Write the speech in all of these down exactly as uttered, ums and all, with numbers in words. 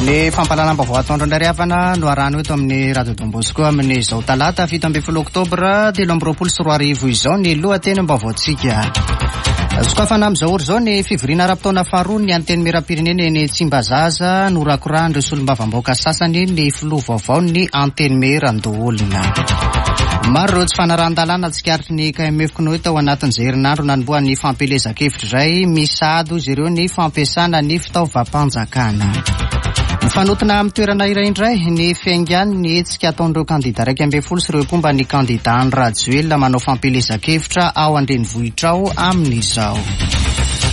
Ny fampahalalam-baovao atoandro indray havana no arahana eto amin'ny Radio Don Bosco amin'izao talata fito ambin'ny folo oktobra telo amby roapolo sy roa arivo izao ny lohatenim-baovaontsika. Sokafana amin'izao ora izao ny fivoriana ara-potoana faharoa ny Antenimierampirenena eny Tsimbazaza, norakorahan'ireo solombavambahoaka sasany ny filoha vaovao ny Antenimierandoholona. Maro ireo tsy fanarahan-dalàna tsikaritry ny K M F C N O E tao anatin'izay herinandro nanombohan'ny fampielezan-kevitra izay misady izy ireo ny fampiasana ny fitaovam-panjakana. Mifanotona amin'ny toerana iray indray ny fiaingan'ny hetsika ataon'ireo kandida iraika ambin'ny folo sy ireo mpomba ny kandida Andry Rajoelina manao fampielezan-kevitra ao an-drenivohitra ao amin'izao.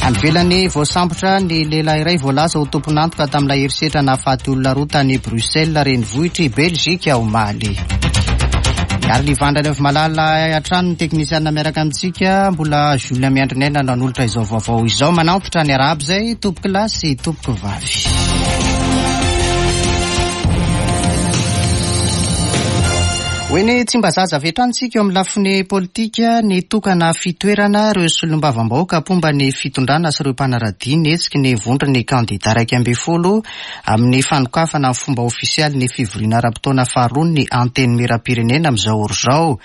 Any ivelany voasambotra ny lehilahy iray voalaza ho tompon'antoka tamin'ilay herisetra nahafaty olona roa tany Bruxelles, renivohitr'i Belgique omaly. Ary ny Vandana avy malala hatrany ny teknisiana miaraka amintsika, mbola Julien Miandrinena nanolotra izao vaovao izao. Manantitra ny arahaba izay tompoko lahy sy tompoko vavy. Ho eny Tsimbazaza avy hatrany isika eo amin'ny lafiny politika, ny tokana fitoerana ireo solombavambahoaka mpomba ny fitondrana sy ireo mpanaradia ny hetsiky ny vondron'ny kandida iraika ambin'ny folo amin'ny fanokafana amin'ny fomba ofisialy ny fivoriana ara-potoana faharoa ny Antenimierampirenena amin'izao ora izao.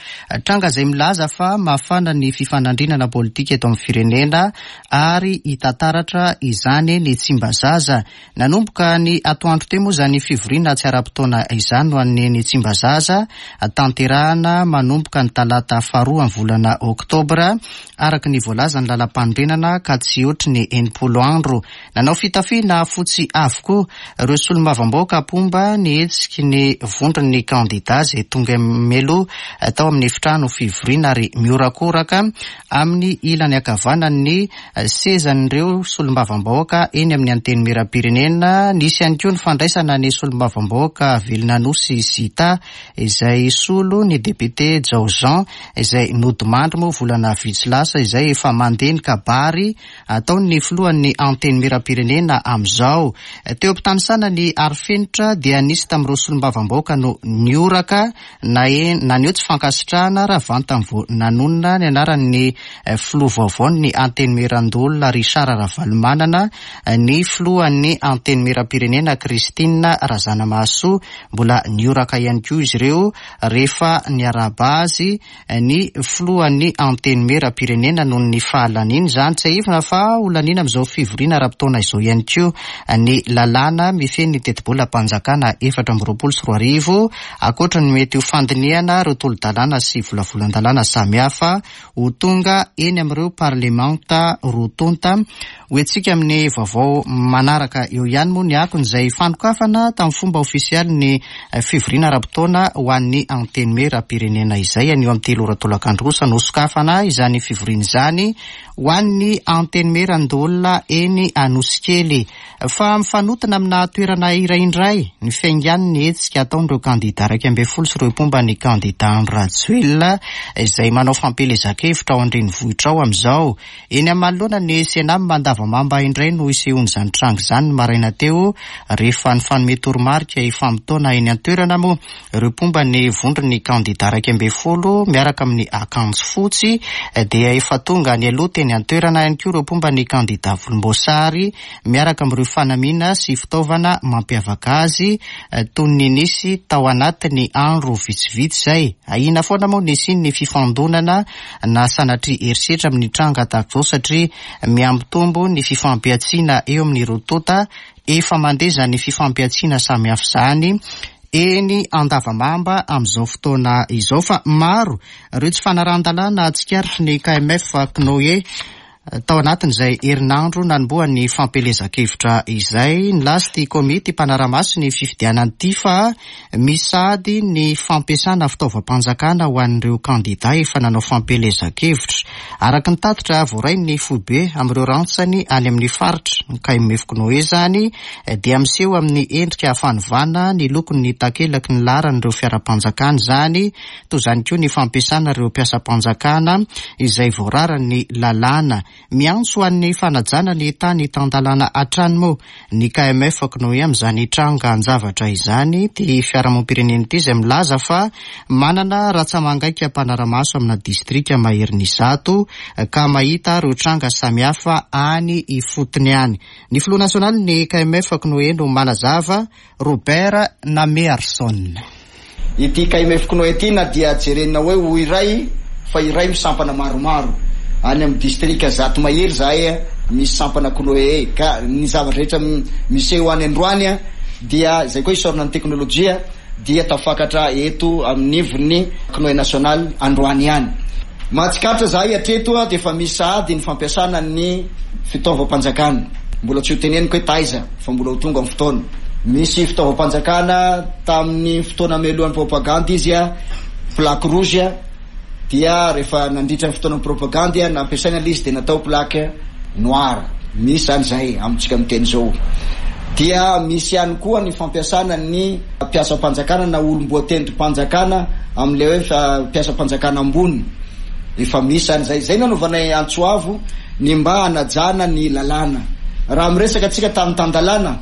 Tranga izay milaza fa mafana ny fifanandrinana politika eto amin'ny firenena ary hita taratra izany ny Tsimbazaza. Nanomboka ny atoandro teo moa izany fivoriana tsy ara-potoana izany no an'ny ny Tsimbazaza tanterahana manomboka ny talata faharoa amin'ny volana oktobra araka ny voalazan'ny lalam-panorenana ka tsy ohatry ny enimpolo andro. Nanao fitafiana fotsy avokoa ireo solombavambahoaka mpomba ny hetsiky ny vondron'ny kandida izay tonga mialoha tao amin'ny efitrano fivoriana ary miorakoraka amin'ny ilany ankavanan'ny sezan'ireo solombavambahoaka eny amin'ny Antenimierampirenena. Nisy ihany koa ny fandraisana ny solombavambahoaka Velonanose Zita izay solo ny député Jao Jean izay nodimandry moa volana vitsy lasa izay efa mandeha ny kabary ataon'ny filohan'ny Antenimierampirenena amin'izao. Teo am-pitanisana ny arifenitra dia nisy tamin'ireo solombavambahoaka no nioraka na naneho tsy fankasitrahana raha vantany vao nanonona ny anaran'ny filoha vaovaon'ny Antenimierandoholona Richard Ravalomanana ny filohan'ny Antenimierampirenena Christine Razanamahasoa. Mbola nioraka ihany koa izy ireo rehefa niarahaba azy ny filohan'ny Antenimierampirenena noho ny fahalaniny izany. Tsiahivina fa ho laniana amin'izao fivoriana ara-potoana izao ihany koa ny lalàna mifehy ny tetibolam-panjakana efatra amby roapolo sy roa arivo, ankoatra ny mety ho fandinihana ireo tolo-dalàna sy volavolan-dalàna samihafa ho tonga eny amin'ireo parlemanta roa tonta. Ho entsika amin'ny vaovao manaraka eo ihany moa ny akony izay fanokafana tamin'ny fomba ofisialy ny fivoriana ara-potoana ho an'ny Antenimierampirenena izay anio amin'ny telo ora tolakandro kosa no sokafana izany fivoriana izany ho an'ny Antenimierandoholona eny Anosikely. Fa mifanotona amina toerana iray indray ny fiaingan'ny hetsika ataon'ireo kandida iraika ambin'ny folo sy ireo mpomba ny kandida Andry Rajoelina izay manao fampielezan-kevitra ao an-drenivohitra ao amin'izao. Eny amin'ny manoloana ny Senam Andavamamba indray no isehoan'izany tranga izany ny maraina teo rehefa nifanome toromarika hifamotoana eny an-toerana moa ireo mpomba ny vondron'ny kandida iraika ambin'ny folo miaraka amin'ny akanjo fotsy dia efa tonga any aloha teny an-toerana ihany koa ireo mpomba ny kandida volomboasary miaraka amin'ireo fanamiana sy fitaovana mampiavaka azy toy ny nisy tao anatin'ny andro vitsivitsy izay. Ahiana foana moa nisian'ny fifandonana na sanatria herisetra amin'ny tranga tahaka izao satria mihambitombo ny fifampihatsiana eo amin'ireo tonta. Efa mandeha izany fifampihatsiana samihafa izany eny Andavamamba amin'izao fotoana izao fa maro ireo tsy fanarahan-dalàna tsikaritry ny K M F C N O E tao anatin'izay herinandro nanombohan'ny fampielezan-kevitra izay. Nilaza ity komity mpanara-maso ny fifidianana ity fa misady ny fampiasana fitaovam-panjakana ho an'ireo kandida efa nanao fampielezan-kevitra. Araka ny tatitra voarain'ny foibe amin'ireo rantsany any amin'ny faritra ny K M F C N O E izany dia miseho amin'ny endrika fanovana ny lokon'ny takelaky ny laharan'ireo fiaram-panjakana izany, toy izany koa ny fampiasana ireo mpiasam-panjakana izay voararan'ny lalàna. Miantso an'ny fanajana ny tany tan-dalàna hatrany moa ny K M F C N O E amin'izany trangan-javatra izany. Ty fiarahamonim-pirenena ity izay milaza fa manana ratsa-mangaika mpanara-maso amina distrika maherin'ny zato ka mahita ireo tranga samihafa any ifotony any. Ny filoha nasionaly ny K M F C N O E no manazava, Robert Namearson. Ity K M F C N O E ity na dia jerenina hoe ho iray fa iray misampana maromaro any amin'ny distrika zato mahery zahay a misy sampana C N O E, ka ny zavatra rehetra miseho any androany a dia zay koa isaorana ny teknôlôjia dia tafakatra eto amin'nivony C N O E national androany ihany. Mahatsikaritra zahay atreto a de efa misy sahady ny fampiasana ny fitaovam-panjakana, mbola tsy ho teneniko hoe taiza fa mbola ho tonga amin'ny fotoana. Misy fitaovam-panjakana tamin'ny fotoana mialohan'ny propagandy izy a plaque rouge a dia rehefa nandritra ny fotoana propagandy a nampiasaina le izy de natao plaque noire. Misy zany zay amitsika miteny zao. Dia misy ihany koa ny fampiasana ny mpiasam-panjakana na olom-boatendrim-panjakana am'le hoe mpiasam-panjakana ambony, efa misy zany zay. Zay nanaovanay antso avo ny mba hanajana ny lalàna. Raha miresaka atsika tany tan-dalàna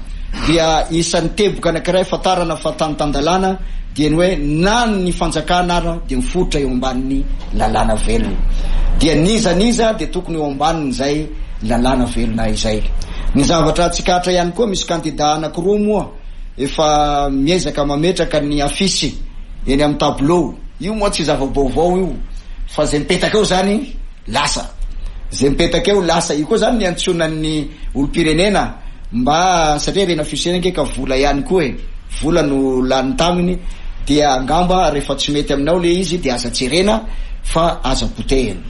dia isan'ny teboka anankiray fatarana fa tany tan-dalàna dia ny hoe na ny fanjakana ara dia mifototra eo ambanin'ny lalàna velona, dia niza niza dia tokony eo ambaniny zay lalàna velona izay. Ny zavatra tsikaritra ihany koa, misy kandida anakiroa moa efa miezaka mametraka ny afisy eny amin'ny tableau. Io moa tsy zava-baovao io, fa zay mipetaka eo zany lasa, zay mipetaka eo lasa. Io koa zany ny antsonan'ny olom-pirenena mba satria rena afisy eny anke ka vola ihany koa e, vola no lany taminy, dia angamba rehefa tsy mety aminao le izy de aza jerena fa aza potehina.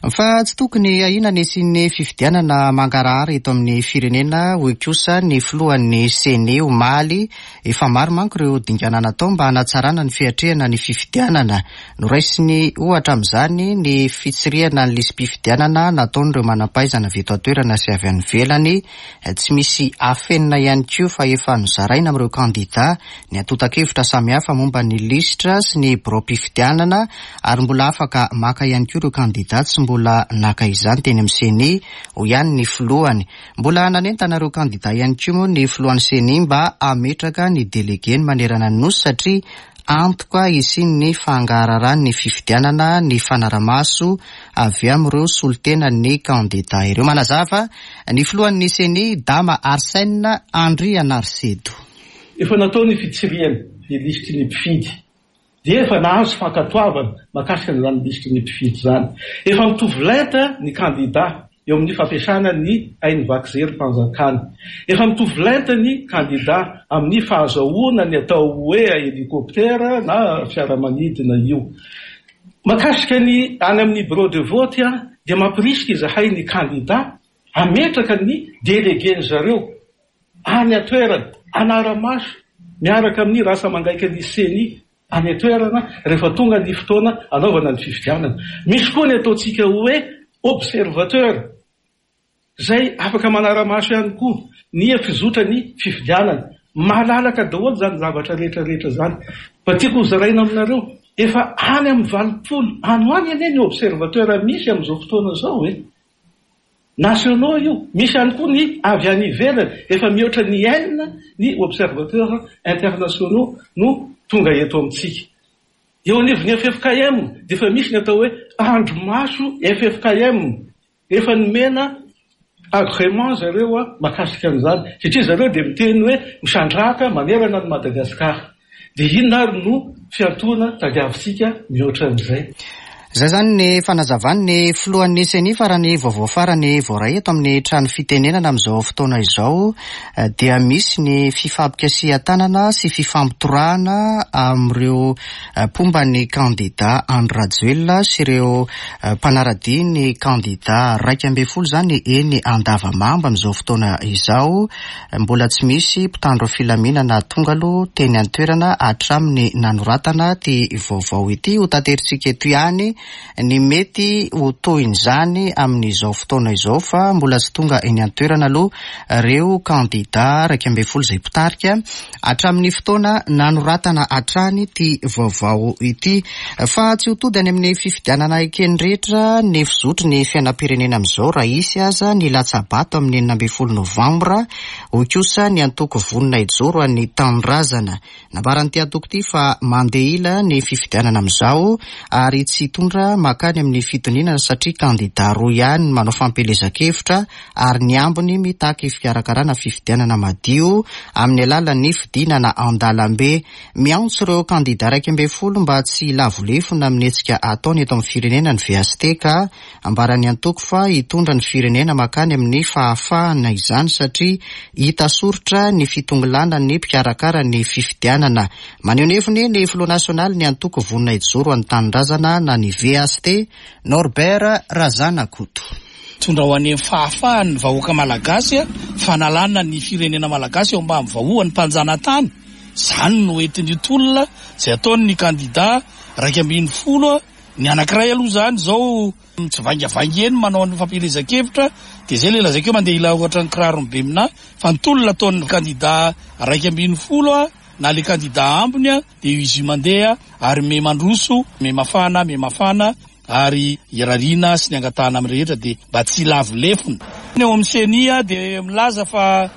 Fa tsy tokony ahina ny hisian'ny fifidianana mangarahara eto amin'ny firenena, hoy kosa ny filohan'ny C E N I omaly. Efa maro manko ireo dingana natao mba hanatsarana ny fiatrehana ny fifidianana. Noraisiny ohatra amin'izany ny fitsirihana ny lisi-pifidianana nataon'ireo manam-pahaizana avy eto an-toerana sy avy any ivelany. Tsy misy afenina ihany koa fa efa nozaraina amin'ireo kandida ny antontan-kevitra samihafa momba ny lisitra sy ny birao-pifidianana, ary mbola afaka maka ihany koa ireo kandida tsy mbola naka izany teny amin'ny C E N I, hoy ihany ny filohany. Mbola nanentana ireo kandida ihany koa moa ny filohan'ny C E N I mba hametraka ny délégué ny manerana ny nosy, satria antoka hisian'ny fangaraharahan'ny fifidianana ny fanaramaso avy amin'ireo solontena ny kandida ireo. Manazava ny filohan'ny C E N I, Dama Arsène Andrianarisedo. Efa natao ny fitsirihana ny lisitry ny mpifidy, dia efa nahazo fankatoavana mahakasika an'izany lisitry ny mpifidy zany. Efa mitovy lenta ny kandida eo amin'ny fampiasana ny haino vaky jery-mpanjakana. Efa mitovy lenta ny kandida amin'ny fahazahoana ny atao hoe hélicoptère na fiaramanidina io. Mahakasika ny any amin'ny bureau de vote a dia mampirisika izahay ny kandida ametraka ny délégué ny zareo any an-toerana anara-maso miaraka amin'ny rantsa-mangaika ny C E N I any an-toerana rehefa tonga ny fotoana anaovana ny fifidianana. Misy koa ny ataontsika hoe observateur zay afaka manara-maso ihany koa ny fizotra ny fifidianana. Malalaka daholo zany zavatra rehetrarehetra zany. Fa tiako hozaraina aminareo, efa any amin'ny valopolo any ho any anie ny observateur misy amin'izao fotoana zao e, nationaux io, misy ihany koa ny avy any ivelany. Efa mihoatra ny enina ny observateur internationaux no tonga eto amintsika. Eo anivon'ny F F K M de efa misy ny atao hoe andro maso F F K M, efa nomena agrément zareo a mahakasika an'izany, satria zareo de miteny hoe misandraka manerana ny Madagasikara. De inona ary no fiantoana tadiavintsika mihoatra an'izay? Zay zany ny fanazavany ny filohan'ny C E N I. Farany vaovao farany voaray eto amin'ny trano fitenenana amin'izao fotoana izao dia misy ny fifampikasihan-tanana sy fifampitorahana amin'ireo mpomba ny kandida Andry Rajoelina sy ireo mpanaradia ny kandida raika ambe folo zany eny Andavamamba amin'izao fotoana izao. Mbola tsy misy mpitandro filaminana tonga aloha teny an-toerana hatramin'ny nanoratana ty vaovao ity. Ho tateritsika eto ihany. ny mety ho tohin'izany amin'izao fotoana izao, fa mbola tsy tonga eny an-toerana aloha ireo kandida iraika ambin'ny folo izay mpitarika hatramin'ny fotoana nanoratana hatrany ity vaovao ity. Fa tsy ho tody any amin'ny fifidianana ekeny rehetra ny fizotry ny fiainam-pirenena amin'izao raha hisy aza ny latsa-bato amin'ny enina ambin'ny folo novambra, hoy kosa ny antoko Vonona Hijoro an'ny Tanindrazana. Nambaran'ity antoko ity fa mandeha ila ny fifidianana amin'izao ary tsy hitondra makany amin'ny fitoniana satria kandida roa ihany manao fampielezan-kevitra ary ny ambiny mitaky fikarakarana fifidianana madio amin'ny alalan'ny fidinana an-dalambe. Miantso ireo kandida iraika ambin'ny folo mba tsy hilavolefona amin'ny hetsika ataony eto amin'ny firenena ny V S T, ka ambaran'ny antoko fa hitondra ny firenena makany amin'ny fahafahana izany satria hita soritra ny fitongilana ny mpikarakara ny fifidianana. Maneho ny heviny ny filoha nasionaly ny antoko Vonona Hijoro an'ny Tanindrazana na ny V S T, Norbert Razanakoto. Tondra ho any amin'ny fahafahan'ny vahoaka malagasy, fanalana ny firenena malagasy eo ambany vahoan'ny mpanjanatany. Izany no entin'ny tolona izay ataon'ny kandida iraika ambin'ny folo. Ny anankiray aloha izany izao mitsivaingavainga eny manao ny fampielezan-kevitra, dia izay ilay lazaiko hoe mandeha ila ohatran'ny kiraro be mina, fa ny tolona ataon'ny kandida iraika ambin'ny folo na ilay kandida ambiny dia izy io mandeha ary me mandroso, me mafana, me mafana, ary irariana sy ny angatahana amin'ny rehetra dia mba tsy hilavo lefona. Ny eo amin'ny C E N I dia milaza fa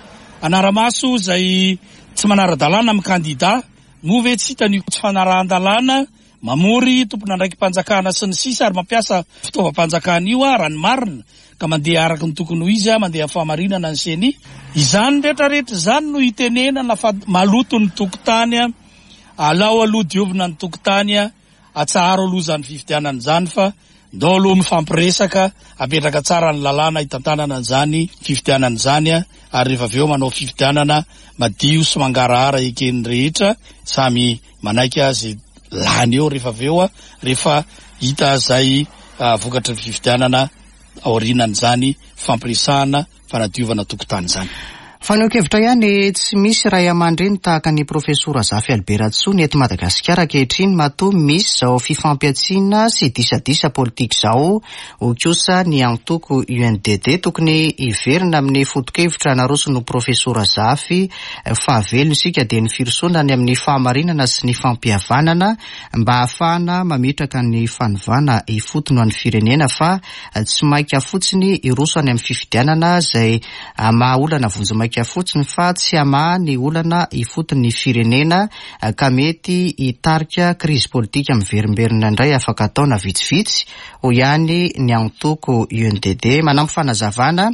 anara-maso izay tsy manara-dalàna amin'ny kandida, moa ve tsy hitany io tsy fanarahan-dalàna mamory tompon'andraiki-panjakana sy ny sisa ary mampiasa fitaovam-panjakana io raha ny marina, ka mandeha araka ny tokony ho izy, mandeha amin'ny fahamarinana ny C E N I. Izany rehetrarehetra izany no itenenana fa maloto ny tokotany, alao aloha diovina ny tokotany, atsaharo aloha izany fifidianana izany fa ndao aloha mifampiresaka, apetraka tsara ny lalàna hitantanana an'izany fifidianana izany, ary rehefa avy eo manao fifidianana madio sy mangarahara eken'ny rehetra, samy manaiky azy lany eo rehefa avy eo, rehefa hita izay vokatry ny fifidianana aorianan'izany fampiresahana fanadiovana tokotany izany. Fanehoan-kevitra ihany, tsy misy ray aman-dreny tahaka ny profesora Zafy Albert Ratsoa eto Madagasikara ankehitriny matoa misy izao fifampiatsiana sy disadisa politika izao. Hoy kosa ny antoko U N D D tokony hiverina amin'ny foto-kevitra naroson'ny profesora Zafy fahavelony isika dia ny firosoana any amin'ny fahamarinana sy ny fampihavanana mba hahafahana mametraka ny fanovana ifotony ho an'ny firenena, fa tsy maika fotsiny hiroso any amin'ny fifidianana izay hamaha olana vonjimaika fotsiny fa tsy hamaha ny olana ifotony ny firenena, ka mety hitarika krizy politika miverimberina indray afaka taona vitsivitsy, hoy ihany ny antoko U N D D. Manampy fanazavana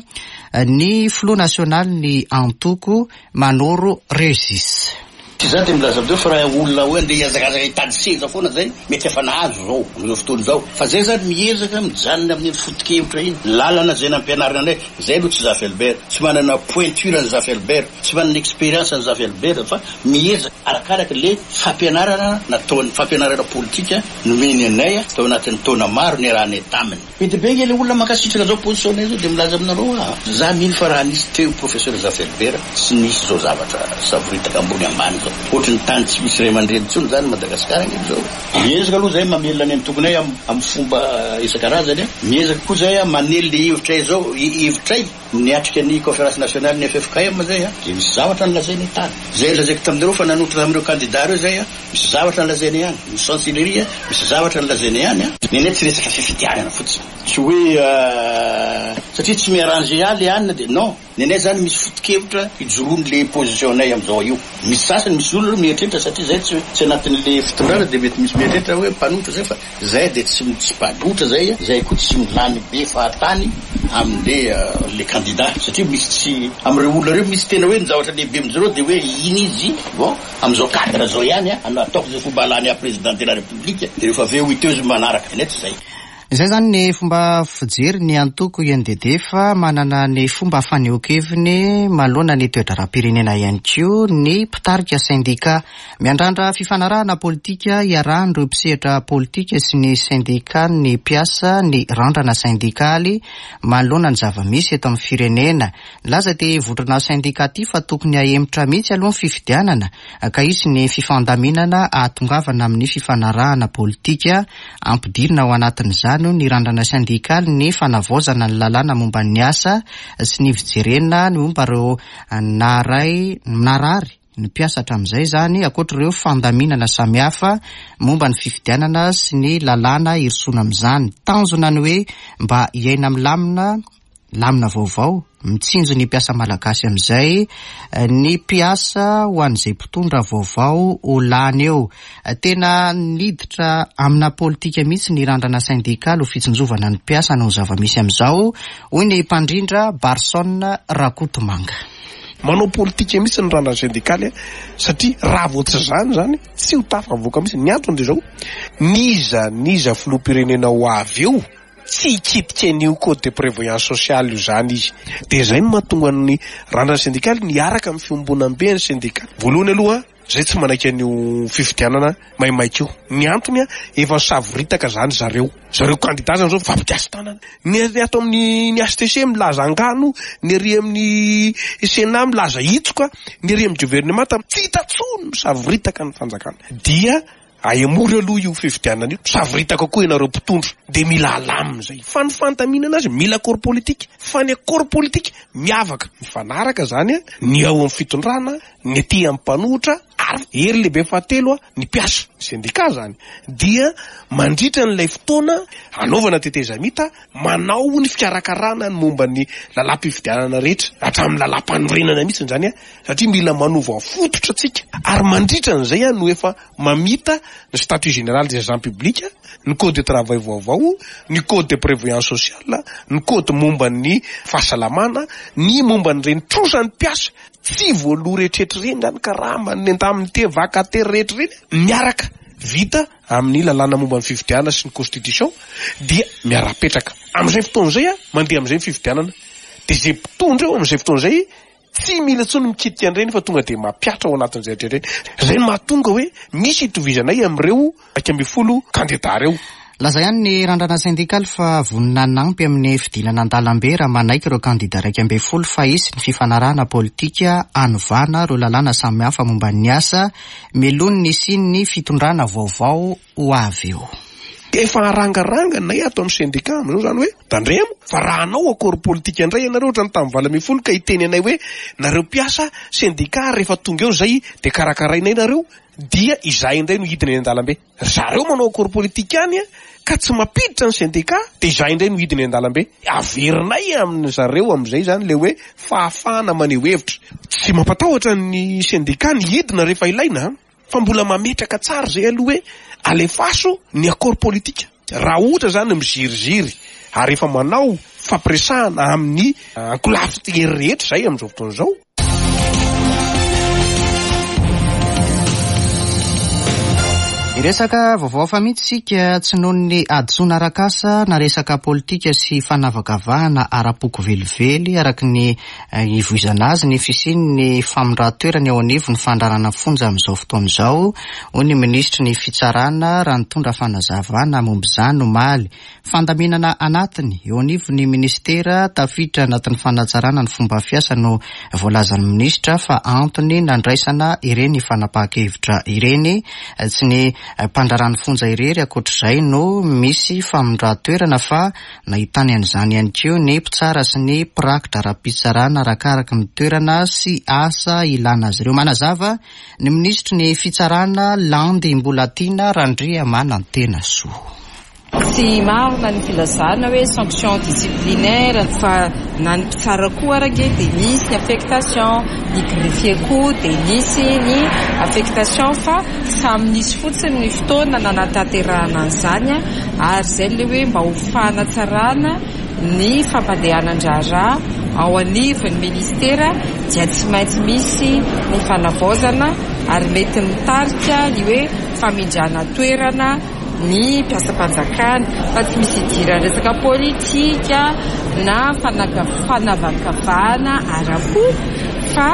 ny filoha nasionaly ny antoko Manoro Regis. Tsy izany dia milaza amin'izao fa raha olona hoe andeha hihazakazaka hitady seza foana zay, mety efa nahazo izao amin'izao fotoana izao. Fa zay zany miezaka mijanona amin'ny foto-kevitra iny. Lalana izay nampianarina anay, zay aloha tsy Zafy Albert, tsy manana pointure ny Zafy Albert, tsy manana expérience ny Zafy Albert, fa miezaka arakaraka le fampianarana nataony, fampianarana politika nomeny anay tao anatin'ny taona maro niarahanay taminy. Be dia be nge le olona mankasitraka zao position zao dia milaza aminareo ah, za mino fa raha nisy teo professeur Zafy Albert tsy nisy zao zavatra savoritaka ambony ambany zao. Ohatry ny tany tsy misy ray aman-dreny intsony zany Madagasikara nge zao. Miezaka aloha zay mamelona ny antokonay am-, amin'ny fomba isan-karazany a. Miezaka koa zay a manely le hevitray zao, hevitray niatrika ny conférence nationale ny F F K M zay a. Dia misy zavatra nolazainy tany. Zay lazaiko taminareo fa nanotrona tamin'ireo kandida ireo zay a, misy zavatra nolazainy ihany. Ny chancellerie a, misy zavatra nolazainy ihany a. Ny anay tsy resaka fifidianana fotsiny. Tsy hoe, euh, satria tsy miarranger ahy le anina dia non. Ny anay zany misy foto-kevitra ijoroan'le position-nay amin'izao io. Misy sasany, misy olona mieritreritra satria zay tsy, tsy anatin'le fitondrana dia mety misy mieritreritra hoe mpanohitra zay, fa zay dia tsy, tsy mpanohitra zay a. Zay koa tsy milany be fahatany amin'le, euh, le candidat, satria misy tsy amin'ireo olona ireo misy tena hoe ny zavatra lehibe amin'izareo dia hoe iny izy, bon, amin'izao cadre zao ihany a, ataoko izay fomba alany ahy président de la République, dia rehefa avy eo hita eo izy manaraka. Ny anay tsy zay. Izay zany ny fomba fijery ny antoko I N D D, fa manana ny fomba fanehoan-keviny manoloana ny toe-draharaham-pirenena ihany koa ny mpitarika sendika. Miandrandra fifanarahana politika iarahan'ireo mpisehatra politika sy ny sendika ny mpiasa ny Randrana Sendikaly manoloana ny zava-misy eto amin'ny firenena. Laza ty vondrona sendika ty fa tokony ahemotra mihitsy aloha ny fifidianana ka hisy ny fifandaminana ahatongavana amin'ny fifanarahana politika. Ampidirina ao anatin'izany ny Randrana Sendikaly ny fanavaozana ny lalàna momba ny asa sy ny fijerena ny momba ireo naray narary ny mpiasa hatramin'izay zany, ankoatra ireo fandaminana samihafa momba ny fifidianana sy ny lalàna irosoana amin'izany. Tanjona ny hoe mba hiaina milamina lamina vaovao mitsinjo ny mpiasa malagasy amin'izay ny mpiasa ho an'izay mpitondra vaovao ho lany eo. Tena niditra amina politika mihitsy ny Randrana Sendikaly ho fitsinjovana ny mpiasa no zava-misy amin'izao, hoy ny mpandrindra Barson Rakotomanga. Manao politika mihitsy ny Randrana Sendikaly satria raha vao tsy zany zany tsy ho tafavoaka mihitsy. Ny antony de zao: niza niza filoham-pirenena ho avy eo tsy hikitika an'io code de prévoyance sociale io zany izy. De zay no mahatonga ny Randrana Sendikaly niaraka amin'ny fiombonambe ny sendikaly. Voalohany aloha, zay tsy manaiky an'io fifidianana maimaika io. Ny antony a, efa savoritaka zany zareo zareo candidat zany zao mifampikasy tanana. Ny ato amin'ny ny H C C milaza angano, ny ary amin'ny Sénat milaza hitsoka, ny ary amin'ny gouvernement tsy hita tsony, misavoritaka ny fanjakana. Dia ahemory aloha io fifidianana io, savoritaka koa ianareo mpitondra, de mila alamina zay. Fa ny fandaminana azy mila accord politique, fa ny accord politique miavaka mifanaraka zany a, ny ao amin'ny fitondrana, ny aty amin'ny mpanohitra, ary hery lehibe fahatelo a, ny mpiasa syndicat zany. Dia mandritra n'ilay fotoana anaovana tetezamita, manao ny fikarakarana ny momba ny lalam-pifidianana rehetra hatramin'ny lalam-panorenana mihitsy zany a, satria mila manova fototra atsika. Ary mandritra n'izay a no efa mamita ny statut général des agents publics, ny code de travail vaovao, ny code de prévoyance sociale, ny code momba ny fahasalamana, ny momba ny reny trosan'ny mpiasa tsy voaloha rehetrarehetra reny zany, karaha ny indemnité vacataire rehetra reny, miaraka vita amin'ny lalàna momba ny fifidianana sy ny constitution, dia miara-petraka am'izay fotoana zay a, mandeha am'izay ny fifidianana. De zay mpitondra eo am'izay fotoana zay tsy mila intsony mikitika an'ireny fa tonga de mampiatra ao anatin'izay rehetra reny. Zay no mahatonga hoe misy itovizanay am'ireo iraika ambin'ny folo candidat reo. Laza ihany ny Randrana Sendikaly fa vonona hanampy amin'ny fidinana an-dalambe raha manaiky ireo kandida iraika ambin'ny folo fa hisy ny fifanarahana politika anovana ireo lalàna samihafa momba ny asa mialoha ny hisian'ny fitondrana vaovao ho avy eo. Efa arangaranga nay ato amin'ny syndicat am'izao zany hoe tandremo fa raha anao accord politique indray ianareo ohatrany tamin'ny valo ambin'ny folo ka hiteny anay hoe nareo mpiasa syndicat rehefa tonga eo zay de karakarainay nareo, dia izahay indray no hidina eny an-dalambe. Zareo manao accord politique any a ka tsy mampiditra ny syndicat, de izahay indray no hidina eny an-dalambe. Averinay amin'ny zareo am'izay zany le hoe fahafahana maneho hevitra. Tsy mampatahotra ny syndicat ny hidina rehefa ilaina, fa mbola mametraka tsara zay aloha hoe alefaso ny accord politique raha ohatra zany miziriziry, ary efa manao fampiresahana amin'ny ankolafy hery rehetra zay am'izao fotoana izao. Resaka vaovao hafa mihitsy sika. Tsy noho ny hadisoana arak'asa na resaka politika sy fanavakavahana ara-poko velively, araka ny ivoizana azy, ny fisian'ny famindran-toerana eo anivon'ny fandraharahana fonja amin'izao fotoana izao, hoy ny minisitry ny fitsarana raha nitondra fanazavana momba izany omaly. Fandaminana anatiny eo anivon'ny ministera tafiditra anatin'ny fanatsarana ny fomba fiasa no voalazan'ny minisitra fa antony nandraisana ireny fanapahan-kevitra ireny. Tsy ny mpandraharahan'ny fonja irery ankoatr'izay no misy famindran-toerana fa nahitany an'izany ihany koa ny mpitsara sy ny mpirakitra ara-pitsarana, arakaraka ny toerana sy asa ilana azy ireo. Manazava ny minisitry ny fitsarana, Landy Mbolatiana Randriamanantenasoa. Tsy marina ny filazana hoe sanction disciplinaire, fa na ny mpitsara koa arake dia misy ny affectation, ny greffier koa dia nisy ny affectation, fa samy nisy fotsiny ny fotoana nanatanterahana an'izany. Ary zay le hoe mba ho fanatsarana ny fampandehanan-draharaha ao anivon'ny ministera dia tsy maintsy misy ny fanavaozana, ary mety mitarika ny hoe famindrana toerana. ny mpiasam-panjakana fa tsy misy idirana resaka politika na fanavakavahana ara-po fa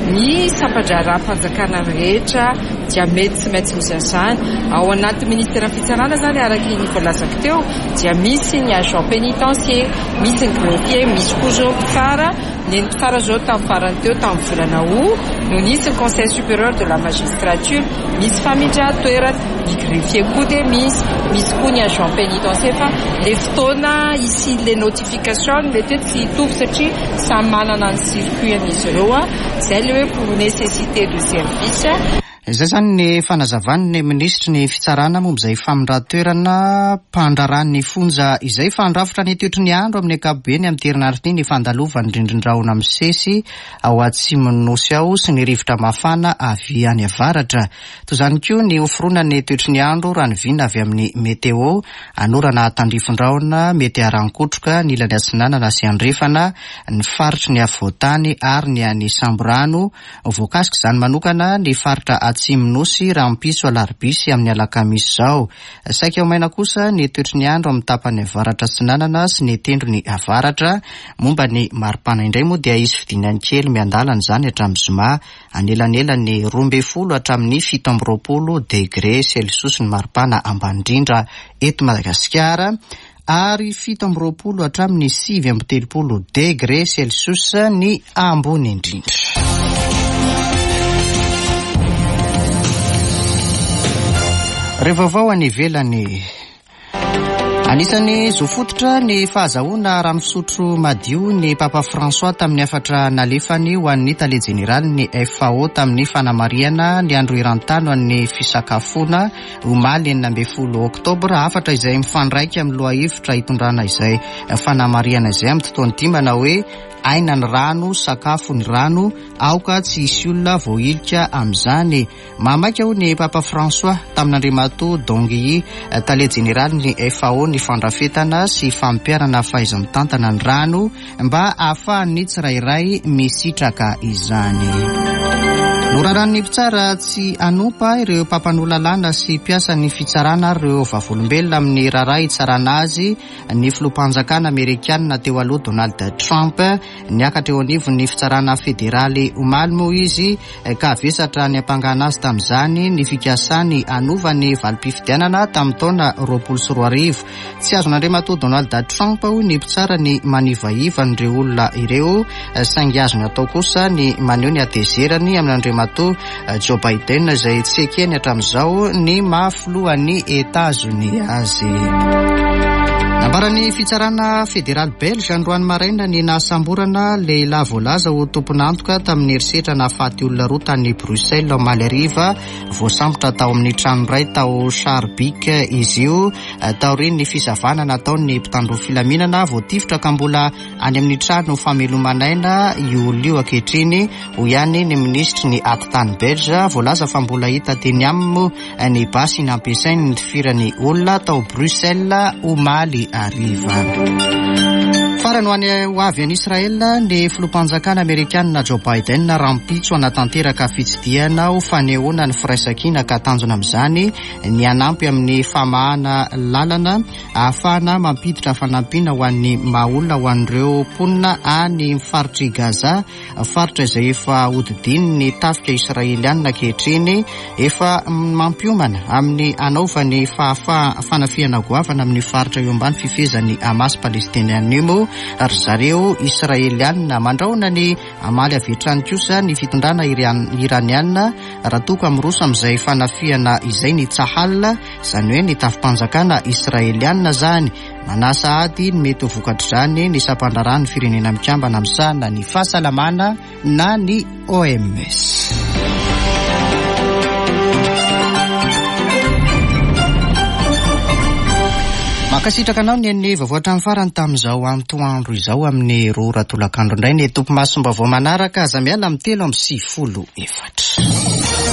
ny sampan-draharaham-panjakana rehetra dia mety tsy maintsy misy an'izany. Ao anaty ministeran'ny fitsarana zany araka ny voalazako teo dia misy ny agent pénitentiaire, misy ny greffier, misy koa zao mpitsara. Ny mpitsara zao tamin'ny farany teo tamin'ny volana août no nisy ny conseil supérieur de la magistrature, misy famindran-toerana, ny greffier koa dia misy, misy koa ny agent pénitentiaire fa le fotoana isian'le notification mety hoe tsy hitovy satria samy manana ny circuit an'izy ireo, izay le hoe pour nécessité de service. Izay zany ny fanazavan'ny minisitry ny fitsarana momba izay famindran-toerana mpandraharahan'ny fonja izay. Fandrafitra ny toetry ny andro amin'ny ankapobeny amin'ny herinandro ity ny fandalovan'ny rindrin-drahona misesy ao atsimon'ny nosy ao sy ny rivotra mafana avy any avaratra. Toy izany koa ny hoforonan'ny toetry ny andro raha ny vina avy amin'ny météo, anorana tandrifin-drahona mety haran-kotroka ny ilany atsinanana sy andrefana, ny faritry ny afovoan-tany ary ny any Samborano. Voakasika izany manokana ny faritra atsimo nosy rahampitso alarobia sy amin'ny alakamisy izao. Saika ho maina kosa ny toetry ny andro amin'ny tapany avaratra atsinanana sy ny tendrony avaratra. Momba ny maripana indray moa dia hisy fidinany kely miandalana izany hatramin'ny zoma, anelanelan'ny roa ambin'ny folo hatramin'ny fito amby roapolo degré celsius ny maripana ambany indrindra eto Madagasikara, ary fito amby roapolo hatramin'ny sivy amby telopolo degré celsius ny ambony indrindra. Ireo vaovao any ivelany. Anisan'ny zo fototra ny fahazahoana rano fisotro madio ny Papa François tamin'ny hafatra nalefany ho an'ny tale jeneraly ny F A O tamin'ny fanamarihana ny andro eran-tany ho an'ny fisakafoana omaly enina ambin'ny folo oktobra. Hafatra izay mifandraika amin'ny lohahevitra hitondrana izay fanamarihana izay amin'ny tontolo ity manao hoe aina ny rano, sakafo ny rano, aoka tsy hisy olona voahilika amin'izany. Mahamaika hoy ny Papa François tamin'Andriamatoa Dongui, tale jeneraly ny F A O, ny fandrafetana sy fampiharana fahaiza-mitantana ny rano mba ahafahan'ny tsirairay misitraka izany. Noraran'ny mpitsara tsy hanompa ireo mpampanoa lalàna sy mpiasan'ny fitsarana ary ireo vavolombelona amin'ny raharaha hitsarana azy ny filoham-panjakana amerikanina teo aloha Donald Trump. Niakatra eo anivon'ny fitsarana federaly omaly moa izy ka vesatra ny ampangana azy tamin'izany ny fikasany hanova ny valim-pifidianana tamin'ny taona roapolo sy roa arivo. Tsy azon'Andriamatoa Donald Trump hoy ny mpitsara ny manivaiva an'ireo olona ireo, saingy azony atao kosa ny maneho ny hatezerany amin'Andriamatoa Joe Biden izay tsy ekeny hatramin'izao ny maha filohan'ny Etazonia azy. Nambaran'ny fitsarana federaly belge androany maraina ny nahasamborana lehilahy voalaza ho tompon'antoka tamin'ny herisetra nahafaty olona roa tany Bruxelles omaly hariva. Voasambotra tao amin'ny trano iray tao Schaerbeek izy io taorian'ny fisavana nataon'ny mpitandro filaminana. Voatifitra ka mbola any amin'ny trano famelomanaina io olona io ankehitriny, hoy ihany ny minisitry ny atitany belge. Voalaza fa mbola hita teny aminy moa ny basy nampiasainy nitifirany olona tao Bruxelles omaly hariva. Farany ho any ho avy any Israel ny filoham-panjakana amerikanina Joe Biden rahampitso hanatanteraka fitsidihana ho fanehoana ny firaisankina ka tanjona amin'izany ny hanampy amin'ny famahana lalana ahafahana mampiditra fanampiana ho an'ny maha olona ho an'ireo mponina any faritr'i Gaza, faritra izay efa hodidinin'ny tafika israelianina ankehitriny. Efa mampiomana amin'ny hanaovany fahafaha fanafihana goavana amin'ny faritra eo ambany fifehezan'ny Hamas palestiniana io moa ry zareo israelianina. Mandrahona ny hamaly avy hatrany kosa ny fitondrana iraniana raha toa ka miroso amin'izay fanafihana izay ny Tsahal, izany hoe ny tafi-panjakana israelianina zany. Manasa ady ny mety ho vokatr'izany ny sampan-draharahan'ny firenena mikambana misahana ny fahasalamana na ny O M S. Mankasitraka anao ny an'ny vaovao hatramin'ny farany tamin'izao antoandro izao amin'ny roa ora tolakandro indray ny tompo masom-baovao manaraka. Aza miala amin'ny telo amby sivifolo efatra.